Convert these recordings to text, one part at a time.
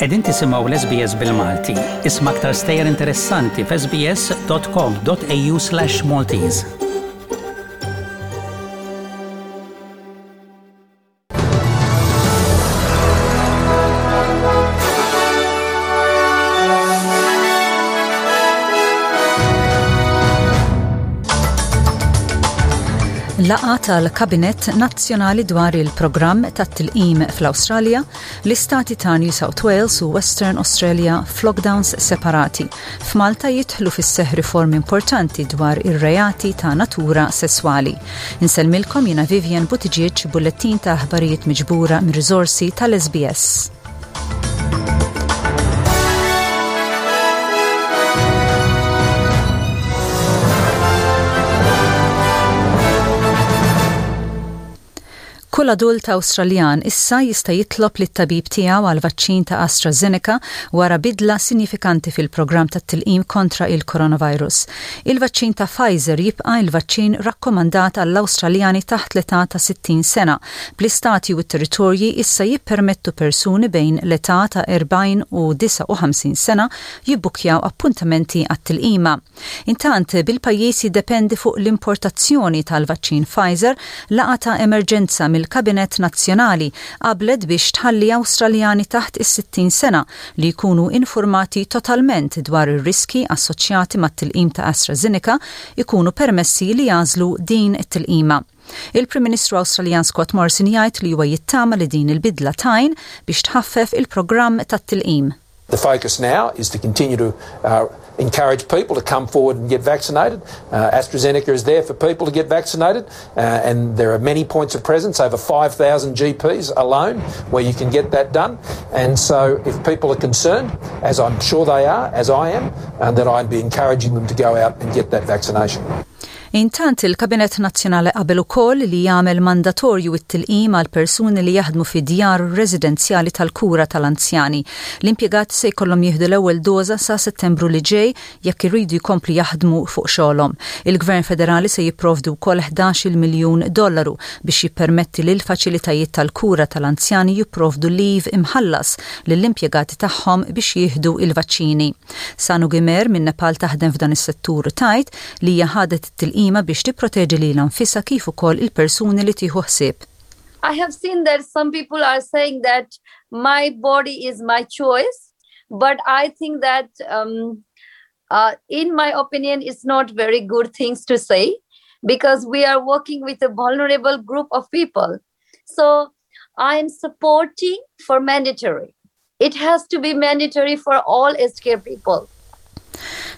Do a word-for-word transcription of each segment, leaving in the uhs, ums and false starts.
Qegħdin tisimgħu l-S B S bil-Malti. Isma' aktar stejjer interessanti f'S B S dot com dot A U slash Maltese. Laqgħa tal-Kabinett Nazzjonali dwar il-programm tat-tilqim fl-Awstralja, l-istati ta' New South Wales u Western Australia f'lockdowns separati. F'Malta jidħlu fis-seħ riformi importanti dwar ir-reati ta' natura sesswali. Insellmilkom jiena Vivian Buttigieg, bullettin ta' aħbarijiet miġbura minn riżorsi tal-S B S. Kull adult Awstraljan issa jista' jitlob lit-tabib tiegħu għal vaċċin ta' AstraZeneca wara bidla sinifikanti fil-programm tat-tilqim kontra il-coronavirus. Il-vaċċin ta' Pfizer jibqa' il-vaċċin rakkomandat għall-Awstraljani taħt l-età ta' sittin sena. Bl-istati u t-territorji issa jippermettu persuni bejn l-età ta' erbgħin u disgħa u ħamsin sena jibbukjaw appuntamenti għat-tilqima. Intant, bil-pajjiż jiddependi fuq l-importazzjoni tal-vaċċin Pfizer, laqgħa ta' emerġenza mill-Kabinett Nazzjonali qablet biex tħalli Awstraljani taħt is-sittin sena li jkunu informati totalment dwar ir-riski assoċjati mat-tilqim ta' AstraZeneca ikunu permessi li jagħżlu din it-tilqima. Il-Prim Ministru Awstraljan Scott Morrison jgħid li huwa jittama li din il-bidla tgħin biex tħaffef il-programm tat-tilqim. The focus now is to continue to uh, encourage people to come forward and get vaccinated. Uh, AstraZeneca is there for people to get vaccinated, uh, and there are many points of presence, over five thousand G Ps alone, where you can get that done. And so, if people are concerned, as I'm sure they are, as I am, uh, then I'd be encouraging them to go out and get that vaccination. Intant, il-Kabinett Nazzjonali qabel ukoll li jagħmel mandatorju it-tilqim għal persuni li jaħdmu fi djar residenzjali tal-kura tal-anzjani. L-impjegati se jkollhom jieħdu l-ewwel doża sa Settembru li ġej jekk iridu jkomplu jaħdmu fuq xogħolhom. Il-Gvern Federali se jipprovdu wkoll ħdax-il miljun dollaru biex jippermetti lil faċilitajiet tal-kura tal-anzjani jipprovdu leave imħallas lill-impjegati tagħhom biex jieħdu il-vaċċini. Sanu Gimer minn Nepal taħdem f'dan is-settur, tgħid li hija ħadet it-tilqim tilqima biex tipproteġi lilha nfisha kif ukoll il-persuni li tieħu ħsieb. I have seen that some people are saying that my body is my choice, but I think that um, uh, in my opinion, it's not very good things to say because we are working with a vulnerable group of people. So I am supporting for mandatory. It has to be mandatory for all aged care people.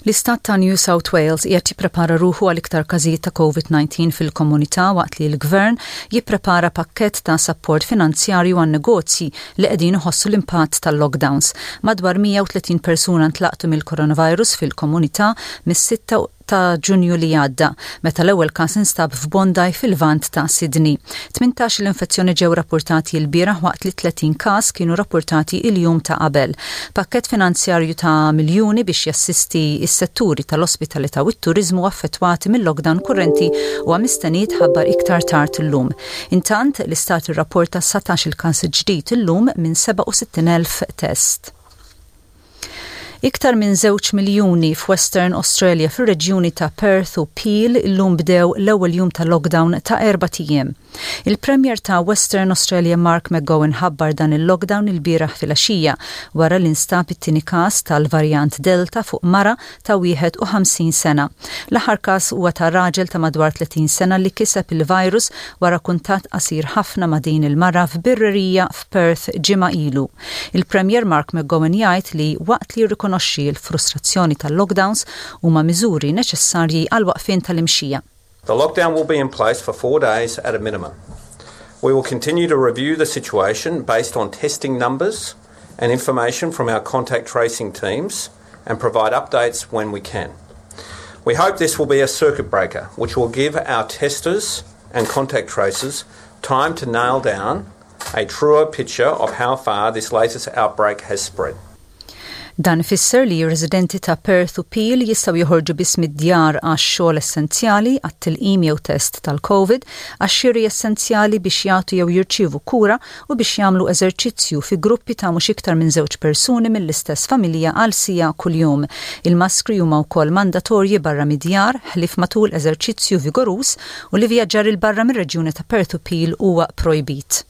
L-istat ta' New South Wales qiegħed jipprepara ruħu għal iktar każijiet ta' COVID nineteen fil-komunità waqt li l-gvern jipprepara pakkett ta' sapport finanzjarju għan negozji li qegħdin iħossu l-impatt tal-lockdowns. Madwar mija u tletin persuna ntlaqtu mill-coronavirus fil-komunità mis-sitta ta' Ġunju li għadda, meta l-ewwel każ instab f'Bondi fil-Lvant ta' Sydney. Tmintax l-infezzjoni ġew rapportati l-bieraħ waqt li tletin każ kienu rapportati il-jum ta' qabel. Pakket finanzjarju ta' miljuni biex jassisti is-setturi tal-ospitalità u t-turizmu affettwati mill-lockdown kurrenti huwa mistenni jitħabbar iktar tard illum. Intant, l-istat irrapporta satax il-każ ġdid illum minn sebgħa u sittin elf test. Iktar minn żewġ miljuni f'Western Australia fir-reġjuni ta' Perth u Peel illum bdew l-ewwel jum ta' lockdown ta' erbat ijiem. Il-Premier ta' Western Australia Mark McGowan ħabbar dan il-lockdown il-bieraħ filgħaxija wara li nstab it-tieni każ tal-varjant Delta fuq mara ta' wieħed u ħamsin sena. L-aħħar każ huwa ta' raġel ta' madwar tletin sena li kiseb il-virus wara kuntatt qasir ħafna ma' din il-mara f'birrerija f'Perth ġimgħa ilu. Il-Premier Mark McGowan jgħid li waqt li jirrikonoxxi l-frustrazzjoni tal-lockdowns, huma miżuri neċessarji għal waqfien tal-imxija. The lockdown will be in place for four days at a minimum. We will continue to review the situation based on testing numbers and information from our contact tracing teams and provide updates when we can. We hope this will be a circuit breaker, which will give our testers and contact tracers time to nail down a truer picture of how far this latest outbreak has spread. Dan ifisser li residenti ta' Perth u Peel jistgħu joħorġu biss mid-djar għax xogħol essenzjali, għat-tilqim jew test tal-COVID, għax xiri essenzjali, biex jagħtu jew jirċievu kura u biex jagħmlu eżerċizzju fi gruppi ta' mhux iktar minn żewġ persuni mill-istess familja għal siegħa kuljum. Il-maskri huma wkoll mandatorji barra mid-djar ħlief matul eżerċizzju vigoruż u l-ivvjaġġar 'il barra mir-reġjuni ta' Perth u Peel huwa projbit.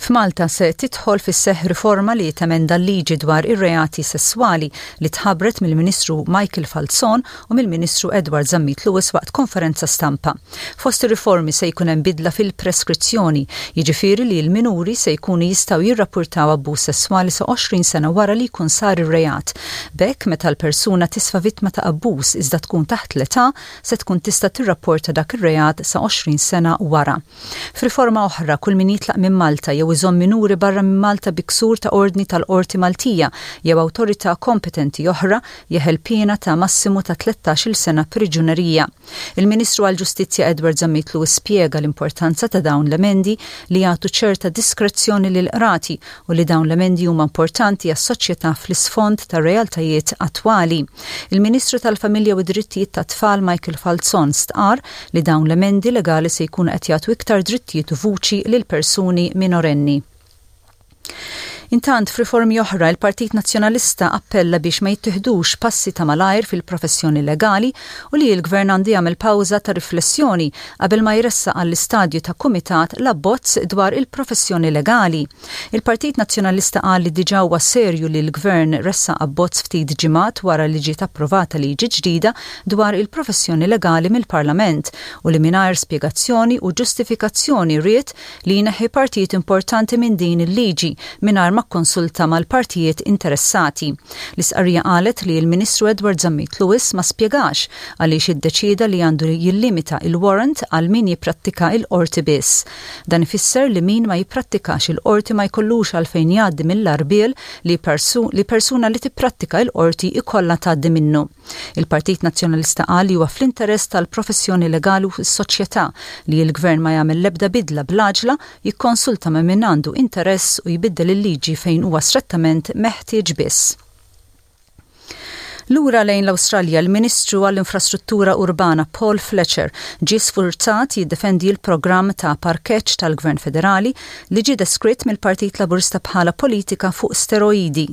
F'Malta se tidħol fis-seħ riforma li temenda l-liġi dwar ir-reati sessuali li tħabbret mill-Ministru Michael Falzon u mill-Ministru Edward Zammit Lewis waqt konferenza stampa. Fost ir-riformi se jkun hemm bidla fil-preskrizzjoni, jiġifieri li l-minuri se jkunu jistgħu jirrapportaw abbuż sesswali sa għoxrin sena wara li jkun sar ir-reat. B'hekk, meta l-persuna tisfa vittma ta' abbuż iżda tkun taħt l-età, se tkun tista' tirrapporta dak ir-reat sa għoxrin sena wara. F'riforma oħra, kull min jitlaq minn Malta jew iżomm minuri barra minn Malta bi ksur ta' ordni tal-qorti Maltija jew awtorità kompetenti oħra jeħel piena ta' massimu ta' tlettax-il sena priġunerija. Il-Ministru għall-Ġustizzja Edward Zammit Lewis spjega l-importanza ta' dawn l-emendi li jagħtu ċerta diskrezzjoni lil qrati u li dawn l-emendi huma importanti għas-soċjetà fl-isfond ta' realtajiet attwali. Il-Ministru tal-Familja u Drittijiet tat-Tfal Michael Falzon stqar li dawn l-emendi legali se jkunu qed jagħtu iktar drittijiet u vuċi lil persuni minorenni. Intant, f'riformi oħra, il-Partit Nazzjonalista appella biex ma jittieħdux passi ta' malajr fil-professjoni legali u li l-Gvern għandu jagħmel pawża ta' riflessjoni qabel ma jressaq għall-istadju ta' kumitat l-abbozz dwar il-professjoni legali. Il-Partit Nazzjonalista qal li diġà huwa serju li l-Gvern ressaq abbozz ftit ġimgħat wara li ġiet approvata liġi ġdida dwar il-professjoni legali mill-Parlament u li mingħajr spjegazzjoni u ġustifikazzjoni ried li jneħħi partijiet importanti minn din il-liġi mingħajr ma kkonsulta mal-partijiet interessati. L-istqarrija qalet li l-Ministru Edward Zammit Lewis ma spjegax għaliex iddeċida li għandu jillimita il-warrant għal min jipprattika il-qorti biss. Dan ifisser li min ma jipprattikax il-qorti ma jkollux għalfejn jgħaddi mill-għarbiel li, persu, li persuna li tipprattika il-qorti ikollha tgħaddi minnu. Il-Partit Nazzjonalista qal li huwa fl-interess tal-professjoni legali u s-soċjetà li l-Gvern ma jagħmel l-ebda bidla bl-għaġla, jikkonsulta ma' min għandu interess u jbiddel il-liġi fejn huwa strettament meħtieġ biss. Lura lejn l-Awstralja, l-Ministru għall-Infrastruttura Urbana Paul Fletcher ġie sfurzat jiddefendi l-programm ta' parkeġġ tal-Gvern Federali li ġie deskritt mill-Partit Laburista bħala politika fuq steroidi.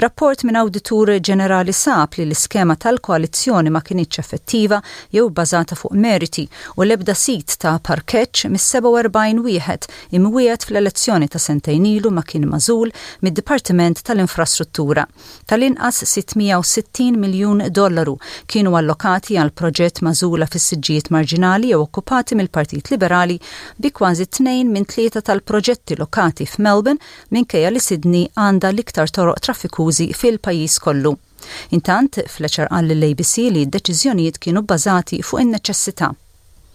Rapport minn Awditur Ġenerali sab li l-iskema tal-koalizzjoni ma kinitx effettiva jew bbażata fuq meriti u l-ebda sit ta' parkeġġ mis-sebgħa u erbgħin wieħed imwiegħed fl-elezzjoni ta' sentejn ilu ma kien magħżul mid-Dipartiment tal-Infrastruttura. Tal-inqas sitt mija u sittin miljun dollaru kienu allokati għal proġett magħżula fis-siġġijiet marġinali jew okkupati mill-Partit Liberali, bi kważi tnejn minn tlieta tal-proġetti lokati f'Melbourne, minkejja li Sydney għandha l-iktar toroq traffikużi fil-pajjiż kollu. Intant, Fletcher qal lill-A B C li d-deċiżjonijiet kienu bbażati fuq in-neċessità.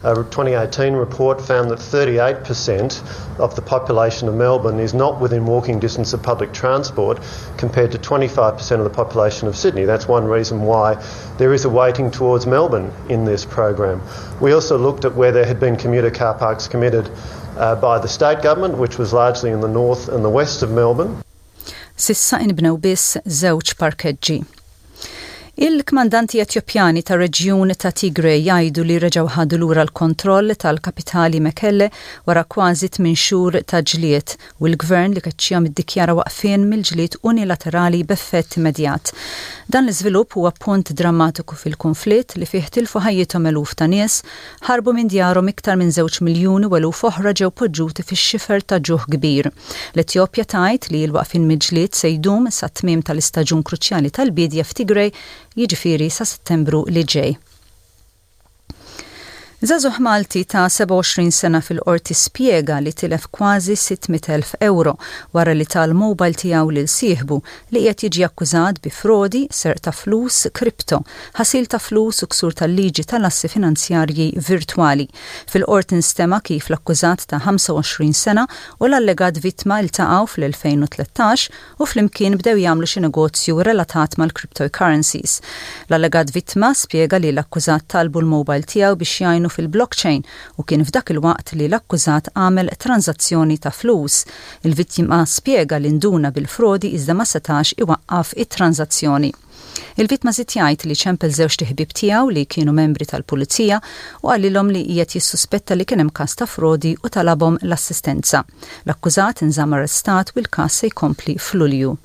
A twenty eighteen report found that thirty-eight percent of the population of Melbourne is not within walking distance of public transport, compared to twenty-five percent of the population of Sydney. That's one reason why there is a weighting towards Melbourne in this program. We also looked at where there had been commuter car parks committed uh, by the state government, which was largely in the north and the west of Melbourne. S'issa inbnew biss żewġ parkeġġi. Il-kmandanti Etjopjani ta' reġjun ta' Tigray jgħidu li reġgħu ħadu lura l-kontroll tal-kapitali Mekelle wara kważi tmien xhur ta' ġlied u l-gvern li keċċihom iddikjara waqfien mill-ġlied unilaterali b'effett immedjat. Dan l-iżvilupp huwa punt drammatiku fil-konflitt li fih tilfu ħajjithom eluf ta' nies, ħarbu minn djarhom iktar minn żewġ miljuni u eluf oħra ġew poġġuti fix-xifer ta' ġuħ kbir. L-Etjopja tgħid li l-waqfien mill-ġlied se jdum sa tmiem tal-istaġun kruċjali tal-bidja f'Tigray, jiġifieri sa Settembru li ġej. Żagħżugħ Malti ta' sebgħa u għoxrin sena fil-qorti spjega li tilef kważi sitt mitt elf euro wara li ta l-mobile tiegħu lil sieħbu li qiegħed jiġi akkużat bi frodi, serq ta' flus, kripto, ħasil ta' flus u ksur tal-liġi tal-assi finanzjarji virtwali. Fil-qorti nstema kif l-akkużat ta' ħamsa u għoxrin sena u l-allegat vittma iltaqgħu fl-elfejn u tlettax u flimkien bdew jagħmlu xi negozju relatat mal-cryptocurrencies. L-allegat vittma spjega li l-akkużat talbu l-mobile tiegħu biex jgħinu fil-blockchain u kien f'dak il-waqt li l-akkużat għamel tranzazzjoni ta' flus. Il-vittma spjega li nduna bil-frodi iżda ma setax iwaqqaf it-tranzazzjoni. Il-vittma żied jgħid li ċempel żewġt iħbieb tiegħu li kienu membri tal-pulizija u qalilhom li qiegħed jissuspetta li kien hemm każ ta' frodi u talabhom l-assistenza. L-akkużat inżamm arrestat u l-każ se jkompli f'Lulju.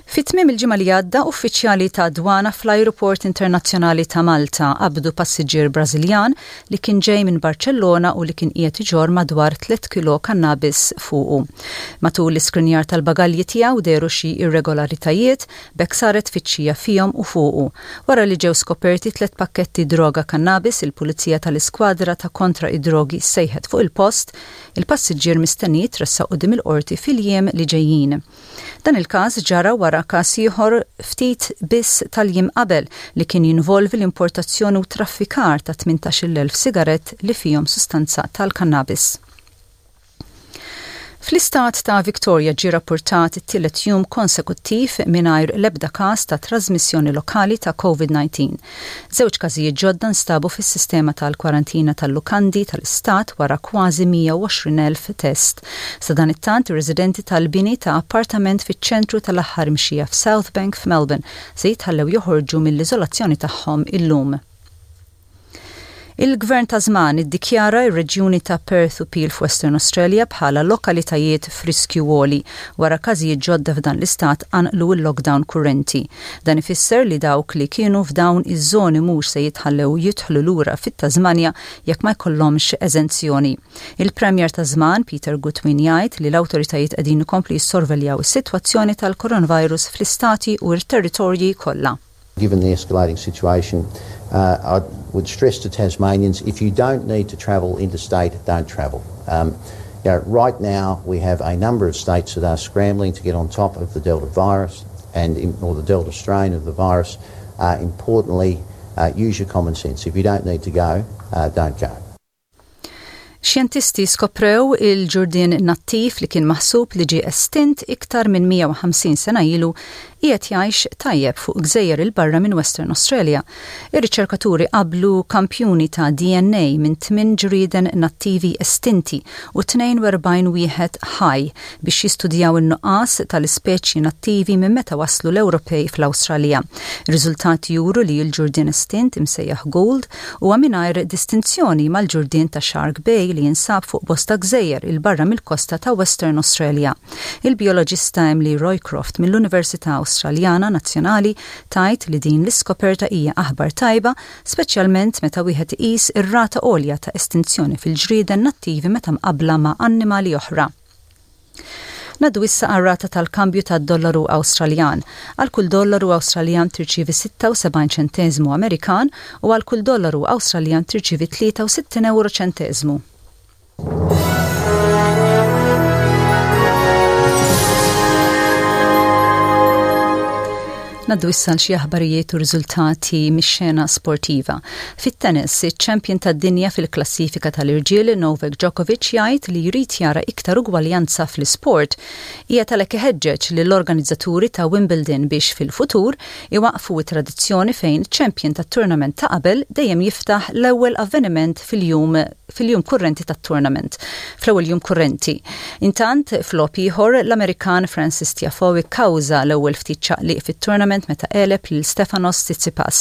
Fit-tmiem il-ġimgħa li għadda, uffiċjali ta' dwana fl-Ajruport Internazzjonali ta' Malta qabdu passiġġier Brażiljan li kien ġej minn Barcellona u li kien qiegħed iġorr madwar tliet kilo kannabis fuqu. Matul l-iskrinjar tal-bagalji tiegħu dehru xi irregolaritajiet, b'hekk saret tfittxija fihom u fuqu. Wara li ġew skoperti tliet pakketti droga kannabis, il-Pulizija tal-Iskwadra ta' kontra id-drogi sejħet fuq il-post, il-passiġġier mistenni jitressaq quddiem il-qorti fil-jiem li ġejjin. Dan il-każ ġara wara każ ieħor ftit biss tal-jiem qabel li kien jinvolvi l-importazzjoni u traffikar ta' tmintax-il elf sigarett li fihom sustanza tal-kannabis. Fl-istat ta' Victoria ġie rapportat it-tielet jum konsekuttiv mingħajr l-ebda każ ta' trasmissjoni lokali ta' COVID disa. Żewġ każijiet ġodda nstabu fis-sistema tal-kwarantina tal-lukandi tal-istat wara kważi mija u għoxrin elf test. Sadanittant, ir-residenti tal-bini ta' appartament fiċ-ċentru tal-aħħar mxija f'South Bank f'Melbourne se jitħallew joħorġu mill-iżolazzjoni tagħhom illum. Il-Gvern Tasman iddikjara r-reġjuni ta' Perth u Peel f'Western Australia bħala lokalitajiet f'riskju għoli wara każijiet ġodda f'dan l-istat qanqlu l-lockdown kurrenti. Dan ifisser li dawk li kienu f'dawn iż-żoni mhux se jitħallew jidħlu lura fit-Tasmanja jekk ma jkollhomx eżenzjoni. Il-Premier Tasman Peter Gutwein jgħid li l-awtoritajiet qegħdin ikomplu jissorveljaw is-sitwazzjoni tal-coronavirus fl-istati u r-territorji kollha. Given the escalating situation, uh, I would stress to Tasmanians, if you don't need to travel interstate, don't travel. Um, you know, right now we have a number of states that are scrambling to get on top of the Delta virus and or the Delta strain of the virus. Uh, importantly, uh, use your common sense. If you don't need to go, uh, don't go. Xjentisti skoprew il-ġurdien nattiv li kien maħsub li ġie estint iktar minn mija u ħamsin sena ilu qiegħed jgħix tajjeb fuq gżejjer 'il barra minn Western Australia. Ir-riċerkaturi qablu kampjuni ta' D N A minn tmien ġrieden nattivi estinti u tnejn u erbgħin wieħed ħaj biex jistudjaw in-nuqqas tal-ispeċji nattivi minn meta waslu l-Ewropej fl-Awstralja. Ir-riżultati juru li l-ġurdien estint imsejjaħ Gould huwa mingħajr distinzjoni mal-ġurdien ta' Shark Bay li jinsab fuq bosta gżejjer 'il barra mill-kosta ta' Western Australia. Il-bioloġista Emily Roycroft mill-Università Awstraljana Nazzjonali tgħid li din l-iskoperta hija aħbar tajba, speċjalment meta wieħed iqis ir-rata għolja ta' estinzjoni fil-ġrieden nattivi meta mqabbla ma' annimali oħra. Ngħaddu issa għar-rata tal-kambju tad-dollaru Awstraljan. Għal kull dollaru Awstraljan tirċivi sitta u sebgħin ċentesmu Amerikan u għal kull dollaru Awstraljan tirċivi tlieta u sittin euro ċentesmu. Ngħaddu issa xi aħbarijiet u riżultati mix-xena sportiva. Fit-tennis, iċ-champion tad-dinja fil-klassifika tal-irġiel Novak Djokovic jgħid li jrid jara iktar ugwaljanza fl-isport. Hija talek iħeġġeġ lill-organizzaturi ta' Wimbledon biex fil-futur iwaqfu tradizzjoni fejn champion tat-tournament ta' qabel dejjem jiftaħ l-ewwel avveniment fil-jum fil-jum kurrenti tat-tournament, fl-ewwel jum kurrenti. Intant, f'logħob ieħor, l-Amerikan Francis Tiafoe kkawża l-ewwel ftit ċaqliq fit-tournament meta għeleb lil Stefanos Tsitsipas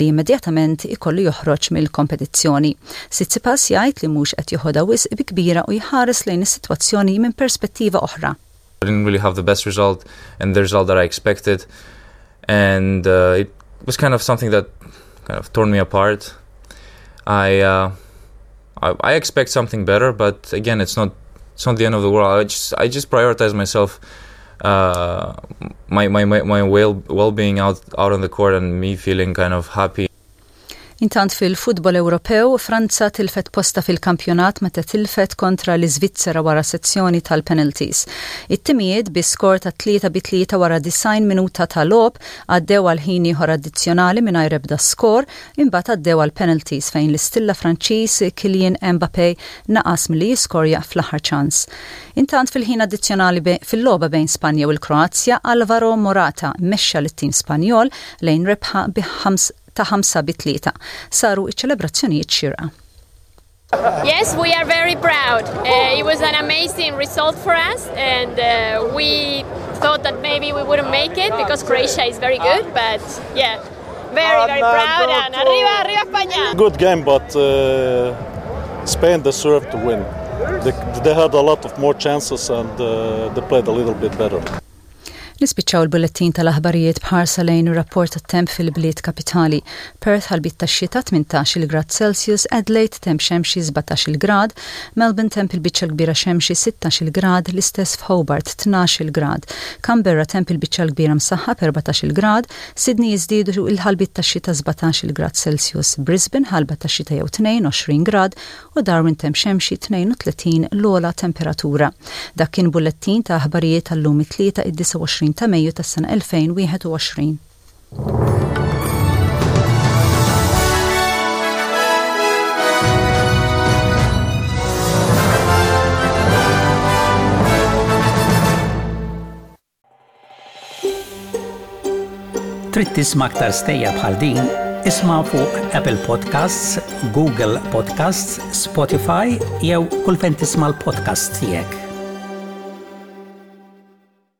li immedjatament ikollu joħroġ mill-kompetizzjoni. Tsitsipas jgħid li mhux qed joħodha wisq bi kbira u jħares lejn is-sitwazzjoni minn perspettiva oħra. I didn't really have the best result and the result that I expected, and uh, it was kind of something that kind of torn me apart. I, uh, I I expect something better, but again, it's not it's not the end of the world. I just I just prioritize myself, uh, my, my my my well well being out out on the court and me feeling kind of happy. Intant, fil-futbol Ewropew, Franza tilfet posta fil-kampjonat meta tilfet kontra l-Iżvizzera wara sezzjoni tal-penalties. It-timijiet bi skor ta' tlieta bi tlieta wara disgħin minuta ta' logħob għaddew għal ħin ieħor addizzjonali mingħajr ebda skor, imbagħad għaddew għal penalties fejn l-istilla Franċiż Kylian Mbappé naqas milli jiskorja fl-aħħar ċans. Intant, fil-ħin addizzjonali fil-logħba bejn Spanja u l-Kroazja, Alvaro Morata mexxa lit-tim Spanjol lejn rebħa bi ħams ta' ħamsa bi tlieta. Saru iċ-ċelebrazzjonijiet xierqa. Yes, we are very proud. Uh, it was an amazing result for us, and uh, we thought that maybe we wouldn't make it because Croatia is very good, but yeah, very, very proud. And arriba, arriba España! Good game, but uh, Spain deserved to win. They, they had a lot of more chances and uh, they played a little bit better. Nispiċċaw il-bullettin tal-aħbarijiet b'ħarsa lejn ir-rapport tat-temp fil-bliet kapitali. Perth ħalbiet tax-xita, tmintax-il grad Celsius, Adelaide temp xemxi, sbatax-il grad, Melbourne temp il-biċċa kbira xemxi, sittax-il grad, l-istess f'Hobart, tnax-il grad, Canberra temp il-biċċa kbira msaħħab, erbatax-il grad, Sydney jiżdiedu il-ħalbiet tax-xita, sbatax-il grad Celsius, Brisbane ħalba tax-xita jew tnejn, għoxrin grad u Darwin temp xemxi, tnejn u tletin l-ogħla temperatura. Dak kien bullettin ta' aħbarijiet tal-lum it-Tlieta, id-disgħa u għoxrin ta' Mejju tas-sena elfejn u wieħed u għoxrin. Trid tisma' aktar stejjer bħal din? Isma' fuq Apple Podcasts, Google Podcasts, Spotify jew kull fejn tisma' l-podcasts tiegħek.